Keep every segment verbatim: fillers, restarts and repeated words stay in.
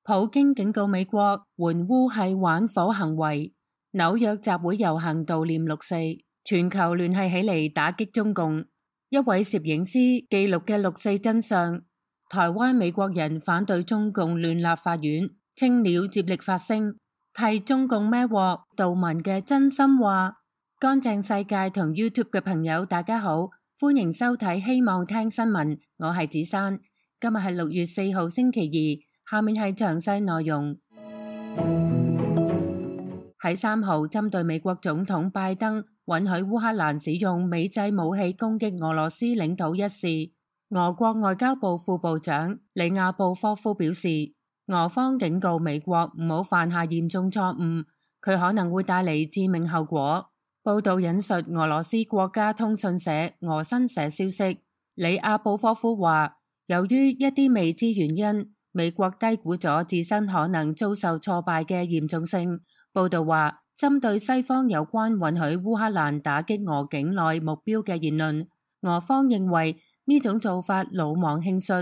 普京警告美國援烏係玩火行為。紐約集會遊行悼念六四，全球聯繫起嚟打擊中共。一位攝影師記錄嘅六四真相。台灣美國人反對中共亂立法院，青鳥接力發聲，替中共孭鑊。杜文嘅真心話。乾淨世界同 YouTube 嘅朋友大家好，歡迎收睇希望聽新聞，我係子珊。今日係六月四號星期二，下面係詳細內容。喺三號針對美國總統拜登允許烏克蘭使用美製武器攻擊俄羅斯領土一事，俄國外交部副部長里亞布科夫表示，俄方警告美國唔好犯下嚴重錯誤，佢可能會帶嚟致命後果。報道引述俄羅斯國家通訊社俄新社消息，里亞布科夫話，由於一啲未知原因，美國低估咗自身可能遭受挫敗嘅嚴重性。報道話，針對西方有關允許烏克蘭打擊俄境內目標嘅言論，俄方認為呢種做法魯莽輕率，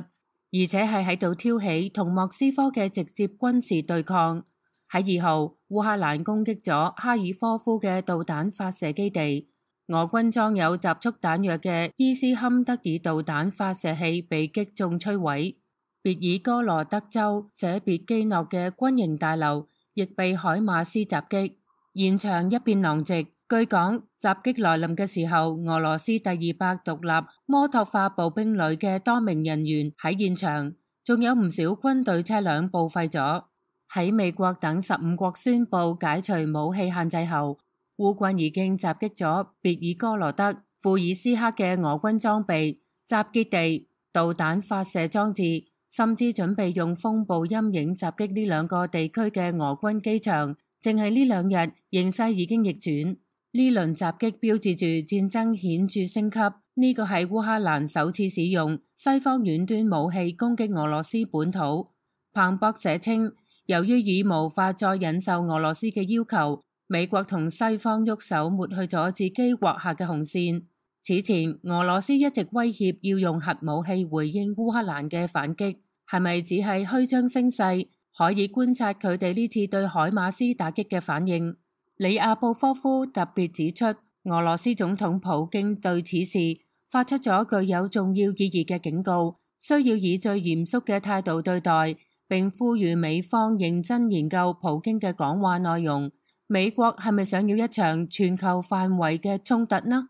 而且係喺度挑起同莫斯科嘅直接軍事對抗。喺二號，烏克蘭攻擊咗哈爾科夫嘅導彈發射基地，俄軍裝有集束彈藥嘅伊斯坎德爾導彈發射器被擊中摧毀。別爾哥羅德州舍別基諾嘅軍營大樓亦被海馬斯襲擊，現場一片狼藉。據講，襲擊來臨嘅時候，俄羅斯第二百獨立摩托化步兵旅嘅多名人員喺現場，仲有唔少軍隊車輛報廢咗。喺美國等十五國宣布解除武器限制後，烏軍已經襲擊咗別爾哥羅德、庫爾斯克嘅俄軍裝備、集結地、導彈發射裝置，甚至準備用風暴陰影襲擊呢兩個地區嘅俄軍機場。淨係呢兩日，形勢已經逆轉。呢輪襲擊標誌住戰爭顯著升級。呢個係烏克蘭首次使用西方遠端武器攻擊俄羅斯本土。彭博社稱，由於已無法再忍受俄羅斯嘅要求，美國同西方喐手抹去咗自己劃下嘅紅線。此前，俄羅斯一直威脅要用核武器回應烏克蘭嘅反擊，係咪只係虛張聲勢？可以觀察佢哋呢次對海馬斯打擊嘅反應。里亞布科夫特別指出，俄羅斯總統普京對此事發出咗具有重要意義嘅警告，需要以最嚴肅嘅態度對待，並呼籲美方認真研究普京嘅講話內容。美國係咪想要一場全球範圍嘅衝突呢？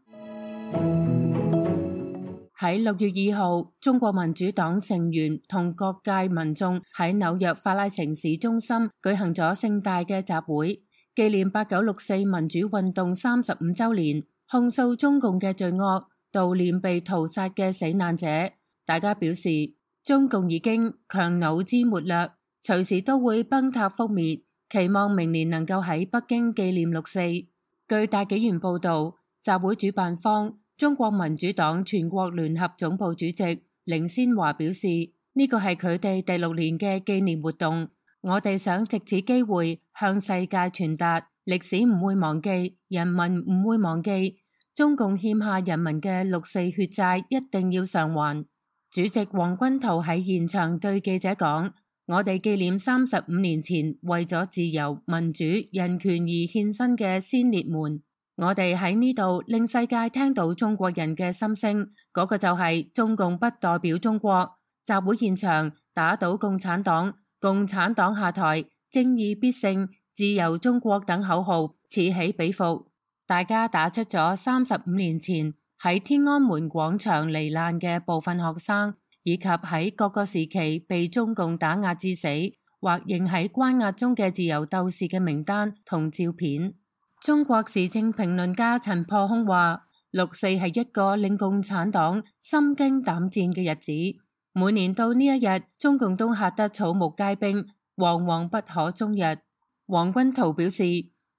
喺六月二號，中國民主黨成員同各界民眾喺紐約法拉盛市中心舉行咗盛大嘅集會，紀念八九六四民主運動三十五週年，控訴中共嘅罪惡，悼念被屠殺嘅死難者。大家表示，中共已經強弩之末啦，隨時都會崩塌覆滅，期望明年能夠喺北京紀念六四。據大紀元報道，集會主辦方中國民主黨全國聯合總部主席凌先華表示，呢個係佢哋第六年嘅紀念活動，我哋想藉此機會向世界傳達，歷史唔會忘記，人民唔會忘記，中共欠下人民嘅六四血債一定要償還。主席王軍濤喺現場對記者講，我哋紀念三十五年前為咗自由、民主、人權而獻身嘅先烈們。我哋喺呢度令世界聽到中國人嘅心聲，嗰個就係中共不代表中國。集會現場打倒共產黨，共產黨下台，正義必勝，自由中國等口號此起彼伏，大家打出咗三十五年前喺天安門廣場罹難嘅部分學生，以及喺各個時期被中共打壓致死或仍喺關押中嘅自由鬥士嘅名單同照片。中國時政評論家陳破空話，六四係一個令共產黨心驚膽戰嘅日子。每年到呢一日，中共都嚇得草木皆兵，惶惶不可終日。王軍濤表示，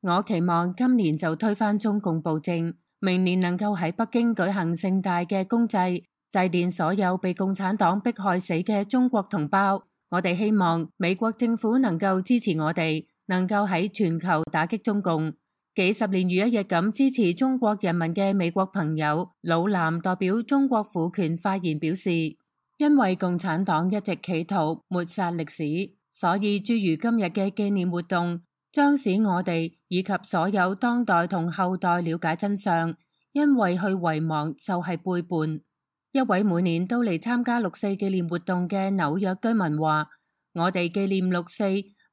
我期望今年就推翻中共暴政，明年能夠喺北京舉行盛大嘅公祭，祭奠所有被共產黨迫害死嘅中國同胞。我哋希望美國政府能夠支持我哋，能夠喺全球打擊中共。幾十年如一日咁支持中國人民嘅美國朋友老藍代表中國婦權發言表示，因為共產黨一直企圖抹殺歷史，所以諸如今日嘅紀念活動，將使我哋以及所有當代同後代了解真相，因為去遺忘就係背叛。一位每年都嚟參加六四紀念活動嘅紐約居民話：我哋紀念六四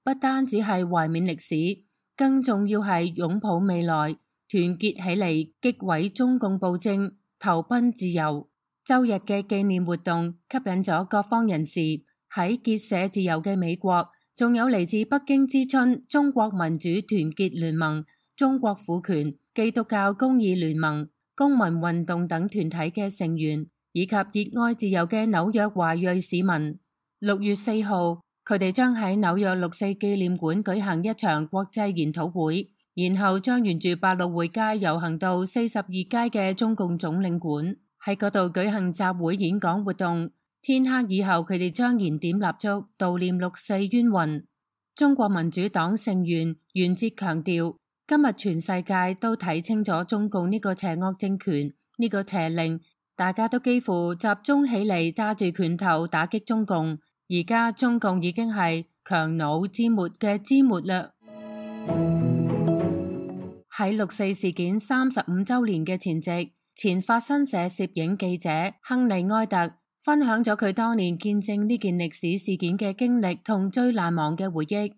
不單只係懷緬歷史，更重要係擁抱未來，團結起嚟擊毀中共暴政，投奔自由。周日嘅紀念活動吸引咗各方人士。喺結社自由嘅美國，仲有嚟自北京之春、中國民主團結聯盟、中國婦權、基督教公義聯盟、公民運動等團體嘅成員，以及熱愛自由嘅紐約華裔市民。六月四號，佢哋將喺紐約六四紀念館舉行一場國際研討會，然後將沿住百老匯街遊行到四十二街嘅中共總領館，喺嗰度舉行集會演講活動。天黑以後，佢哋將燃點蠟燭悼念六四冤魂。中國民主黨成員袁哲強調，今日全世界都睇清咗中共呢個邪惡政權，呢個邪令，大家都幾乎集中起嚟揸住拳頭打擊中共。而家中共已經係強弩之末嘅之末啦。喺六四事件三十五週年嘅前夕，前法新社攝影記者亨利埃特分享咗佢當年見證呢件歷史事件嘅經歷同最難忘嘅回憶。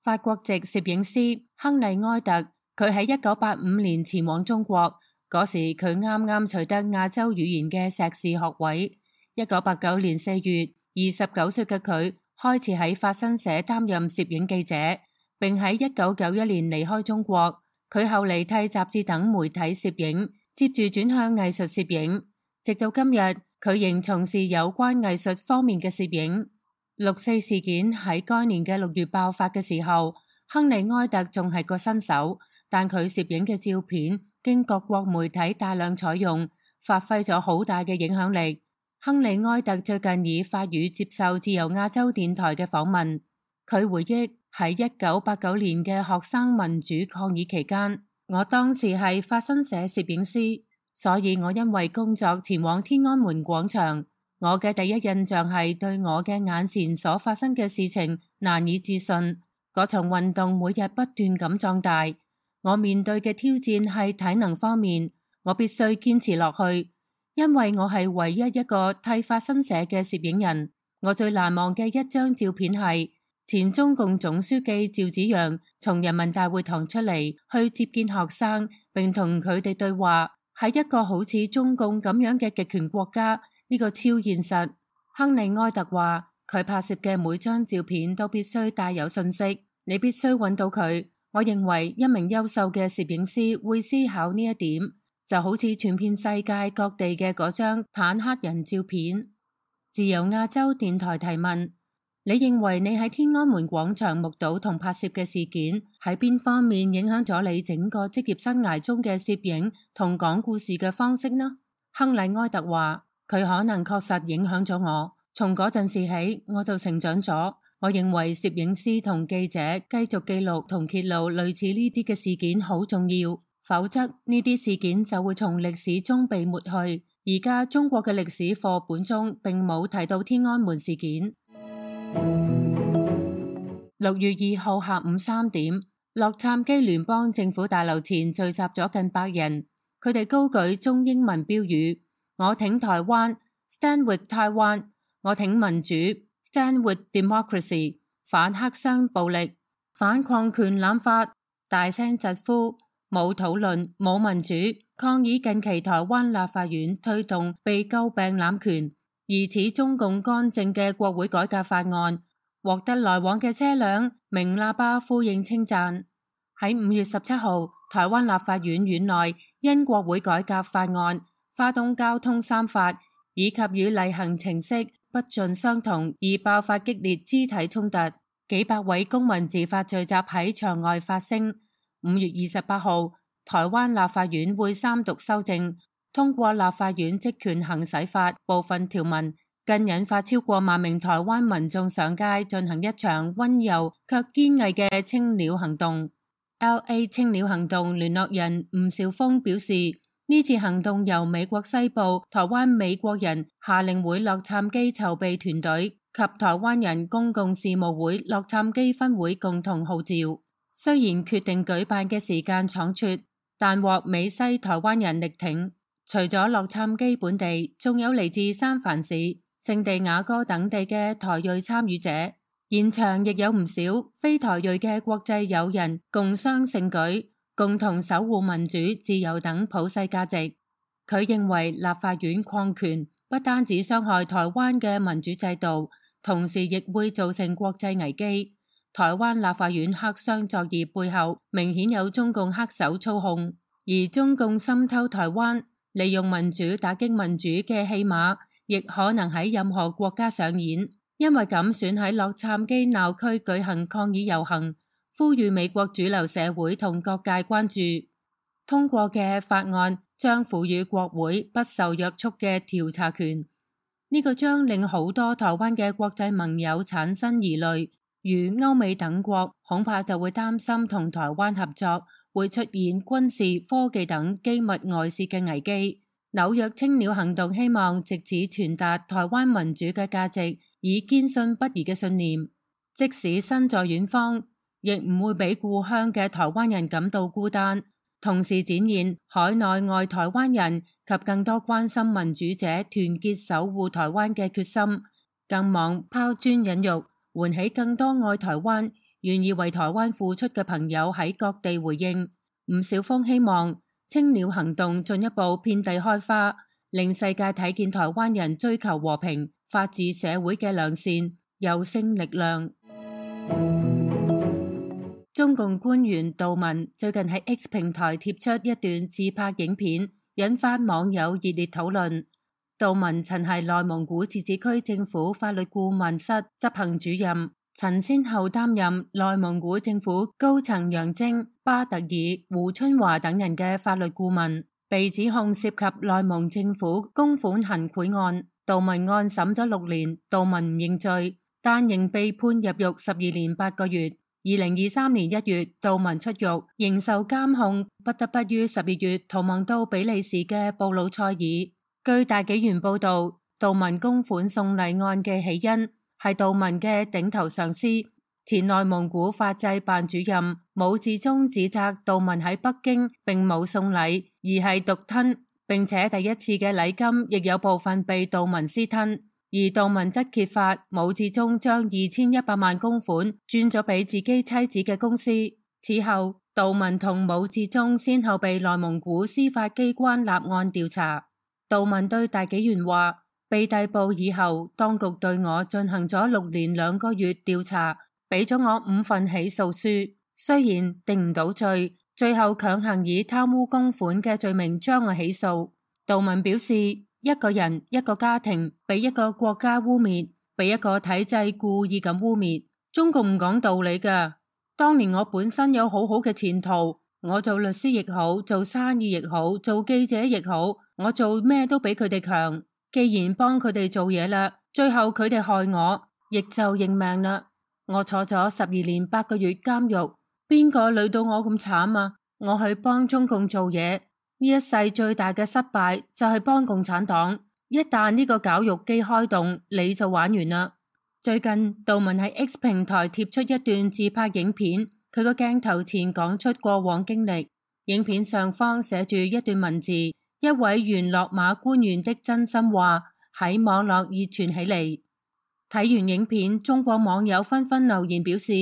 法國籍攝影師亨利埃特，佢喺一九八五年前往中國，嗰時佢啱啱取得亞洲語言嘅碩士學位。一九八九年四月，二十九歲嘅佢開始喺法新社擔任攝影記者，並喺一九九一年離開中國。佢後嚟替雜誌等媒體攝影，接住轉向藝術攝影，直到今日，佢仍從事有關藝術方面嘅攝影。六四事件喺該年嘅六月爆發嘅時候，亨利埃特仲係個新手，但佢攝影嘅照片經各國媒體大量採用，發揮咗好大嘅影響力。亨利埃特最近以法語接受自由亞洲電台嘅訪問，佢回憶喺一九八九年嘅學生民主抗議期間，我當時係法新社攝影師。所以我因為工作前往天安門廣場，我嘅第一印象係對我嘅眼前所發生嘅事情難以置信。嗰場運動每日不斷咁壯大，我面對嘅挑戰係體能方面，我必須堅持落去，因為我係唯一一個替法新社嘅攝影人。我最難忘嘅一張照片係前中共總書記趙紫陽從人民大會堂出嚟去接見學生，並同佢哋對話。喺一個好似中共咁樣嘅極權國家，呢個超現實。亨利埃特話，佢拍攝嘅每張照片都必須帶有信息，你必須揾到佢。我認為一名優秀嘅攝影師會思考呢一點，就好似傳遍世界各地嘅嗰張坦克人照片。自由亞洲電台提問：你認為你喺天安門廣場目睹同拍攝嘅事件喺邊方面影響咗你整個職業生涯中嘅攝影同講故事嘅方式呢？亨利埃特話：佢可能確實影響咗我，從嗰陣時起我就成長咗。我認為攝影師同記者繼續記錄同揭露類似呢啲嘅事件好重要，否則呢啲事件就會從歷史中被抹去。而家中國嘅歷史課本中並冇提到天安門事件。六月二號下午三點，洛杉磯聯邦政府大樓前聚集咗近百人，佢哋高舉中英文標語：我挺台灣 ，Stand with Taiwan； 我挺民主 ，Stand with democracy； 反黑箱暴力，反礦權濫發，大聲疾呼：冇討論，冇民主，抗議近期台灣立法院推動被詬病濫權、疑似中共干政嘅國會改革法案，獲得來往嘅車輛鳴喇叭呼應稱讚。喺五月十七號，台灣立法院院內因國會改革法案、花東交通三法以及與例行程式不盡相同而爆發激烈肢體衝突，幾百位公民自發聚集喺場外發聲。五月二十八號，台灣立法院會三讀修正，通過立法院職權行使法部分條文，更引發超過萬名台灣民眾上街進行一場溫柔卻堅毅嘅青鳥行動。L A 青鳥行動聯絡人吳兆峰表示，呢次行動由美國西部台灣美國人夏令會洛杉磯籌備團隊及台灣人公共事務會洛杉磯分會共同號召。雖然決定舉辦嘅時間倉促，但獲美西台灣人力挺。除咗洛杉磯本地，仲有嚟自三藩市、聖地亞哥等地嘅台裔參與者。現場亦有唔少非台裔嘅國際友人共襄盛舉，共同守護民主、自由等普世價值。佢認為立法院擴權不單止傷害台灣嘅民主制度，同時亦會造成國際危機。台灣立法院黑箱作業背後明顯有中共黑手操控，而中共滲透台灣，利用民主打擊民主嘅戲碼，亦可能喺任何國家上演。因為咁選喺洛杉磯鬧區舉行抗議遊行，呼籲美國主流社會同各界關注。通過嘅法案將賦予國會不受約束嘅調查權，呢個將令好多台灣嘅國際盟友產生疑慮，如歐美等國恐怕就會擔心同台灣合作會出現軍事、科技等機密外泄嘅危機。紐約青鳥行動希望藉此傳達台灣民主嘅價值，以堅信不移嘅信念，即使身在遠方，亦唔會俾故鄉嘅台灣人感到孤單。同時展現海內外台灣人及更多關心民主者團結守護台灣嘅決心，更望拋磚引玉，喚起更多愛台灣、願意為台灣付出嘅朋友喺各地回應。吳小峰希望青鳥行動進一步遍地開花，令世界睇見台灣人追求和平、法治社會嘅良善、有聲力量。中共官員杜文最近喺 X 平台貼出一段自拍影片，引發網友熱烈討論。杜文曾係內蒙古自治區政府法律顧問室執行主任，曾先後擔任內蒙古政府高層楊晶、巴特爾、胡春華等人嘅法律顧問，被指控涉及內蒙政府公款行賄案。杜文案審咗六年，杜文唔認罪，但仍被判入獄十二年八個月。二零二三年一月，杜文出獄，仍受監控，不得不於十二月逃亡到比利時嘅布魯塞爾。據大紀元報道，杜文公款送禮案嘅起因係杜文嘅頂頭上司前內蒙古法制辦主任武志忠指責杜文喺北京並冇送禮，而係獨吞，並且第一次嘅禮金亦有部分被杜文私吞。而杜文則揭發武志忠將二千一百萬公款轉咗俾自己妻子嘅公司。此後，杜文同武志忠先後被內蒙古司法機關立案調查。杜文對大紀元話：被逮捕以後，當局對我進行咗六年兩個月調查，俾咗我五份起訴書，雖然定唔到罪，最後強行以貪污公款嘅罪名將我起訴。杜文表示，一個人、一個家庭被一個國家污衊，被一個體制故意咁污衊，中共唔講道理㗎。當年我本身有好好嘅前途，我做律師亦好，做生意亦好，做記者亦好，我做咩都比佢哋強。既然幫佢哋做嘢啦，最後佢哋害我，亦就認命啦。我坐咗十二年八個月監獄，邊個累到我咁慘啊？我去幫中共做嘢。呢一世最大嘅失敗就係幫共產黨，一旦呢個絞肉機開動，你就玩完啦。最近杜文喺 X 平台貼出一段自拍影片，佢個鏡頭前講出過往經歷，影片上方寫住一段文字，一位原落馬官員的真心話喺網絡熱傳起嚟。睇完影片，中國網友紛紛留言表示，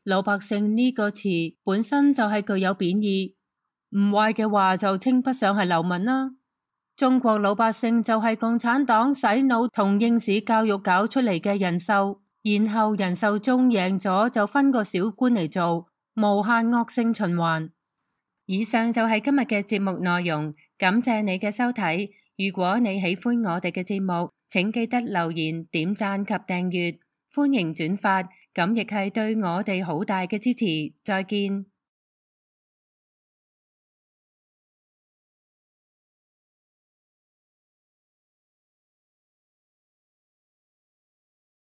老百姓呢個詞本身就係具有貶義，唔壞嘅話就稱不上係流民啦。中國老百姓就係共產黨洗腦同應試教育搞出嚟嘅人獸，然後人獸中贏咗就分個小官嚟做，無限惡性循環。以上就係今日嘅節目內容，感謝你嘅收睇。如果你喜歡我哋嘅節目，請記得留言、點讚及訂閱，歡迎轉發，咁亦係對我哋好大嘅支持。再見。